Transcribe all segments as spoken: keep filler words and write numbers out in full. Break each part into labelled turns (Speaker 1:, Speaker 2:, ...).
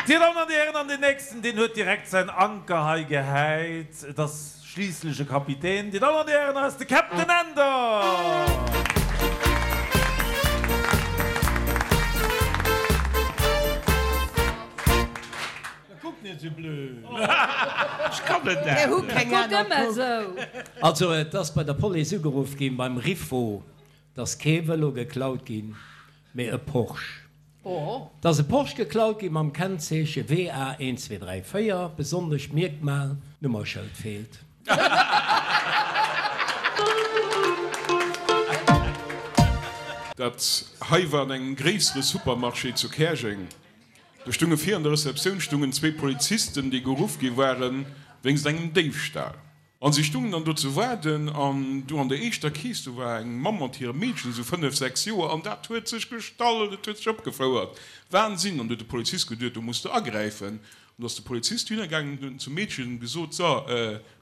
Speaker 1: Dir Dammen an Dir Hären, an deen nächsten, deen huet direkt säin Anker hei gehäit. Et ass schliisslech e Kapitän. Dir Dammen an Dir Hären, hei ass de Captain Änder! Kuck net esou blöd.
Speaker 2: Ech kann et net.
Speaker 3: Mir hu keng aner Kuck.
Speaker 4: Also et ass bei der Police ugeruff ginn, beim Rifo, dass kee Vëlo geklaut ginn, mee e Porsche. Et ass e Porsche geklaut ginn mam Kennzeeche W A een zwee dräi véier, besonnescht Mierkmal, d'Nummerschëld feelt.
Speaker 5: Dat hei war an engem gréissere Supermarché zu Käerjeng. Do stounge vir an der Receptioun stoungen zwee Polizisten, déi geruff gi ware wéinst engem Déifstal. An si stungen dann do ze waarden an do an der éischter Kees, do war eng Mamm mat hirem Meedchen, esou fënnef, sechs Joer, an dat huet sech gestallt, et huet sech opgefouert, Wahnsinn! An du huet de Polizist geduet, do muss de agräifen. An du ass de Polizist dohinner gaangen an huet zum Meedchen gesot, So,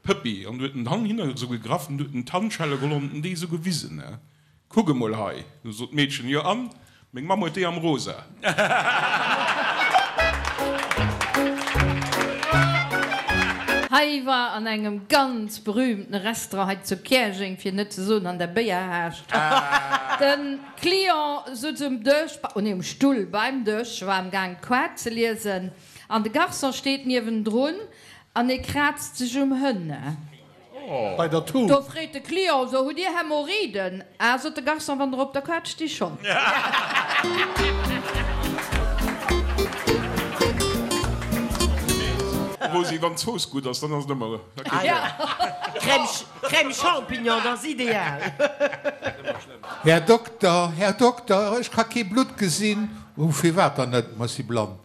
Speaker 5: Pëppi, an du huet en d'Hand hinner esou gegraff an du huet en d'Handschelle geholl an huet en déi esou gewisen, Kuck emol hei! Du sot d'Meedchen, Jo an? Meng Mamm huet déi am Rosa.
Speaker 3: Hei war an engem ganz berühmten Restaurant hei zu Käerjeng, fir net ze soen an der Béierhaascht. De Client sutz um Dësch, oh nee um Stull beim Dësch, war am Gaang d'Koart ze liesen an de Garçon steet niewendrun an e kraazt sech um Hënne.
Speaker 6: Bei der Tut.
Speaker 3: Do freet de Client, So, hutt Dir Hämorrhoiden? Ah, sot de Garçon, wann der op der Kaart sti schonn.
Speaker 5: Rosi, wann d'Zooss gutt ass, dann ass et ëmmer
Speaker 7: Crème, Crème Champignon, dat ass ideal.
Speaker 6: Här Dokter, Här Dokter, ech ka kee Blutt gesinn. Oh, firwat dann net? Ma ech si blann.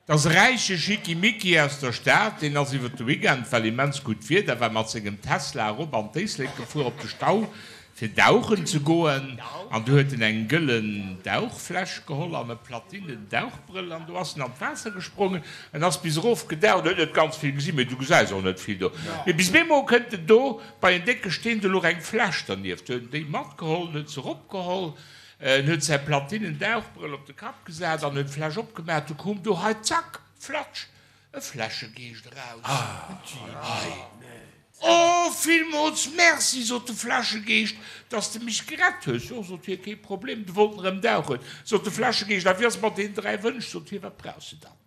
Speaker 2: 't ass e räiche Schickimicki aus der Stad, deen ass iwwer de Weekend, well immens gutt Wieder war, mat sengem Tesla erop an d'Éislek gefuer op de Stau fir dauchen ze goen. An du huet en eng gëllen Dauchfläsch geholl an e platinen Dauchbrëll an du ass en an d'Waasser gesprongen. En ass bis erof gedaucht, huet net ganz vill gesinn, mee du gesäis och net vill do. Mee bis bemol kënnt en do bei en décke Steen, do louch eng Fläsch dernieft, huet en déi matgeholl, huet se eropgeholl. En huet säi Platinen-Dauchbrëll op de Kapp gesat an huet d'Fläsch opgemaach. Du koum do hei, zack, flatsch, e Fläschegeescht eraus. Hei. Oh, villmools Merci, sot de Fläschegeescht, dass de mech gerett hues. Jo, sot hie, kee Problem. Du wollt en erëm dauchen, sot de Fläschegeescht. A wéi ass et mat deenen dräi Wënsch, sot hie, wat brauchs de dann?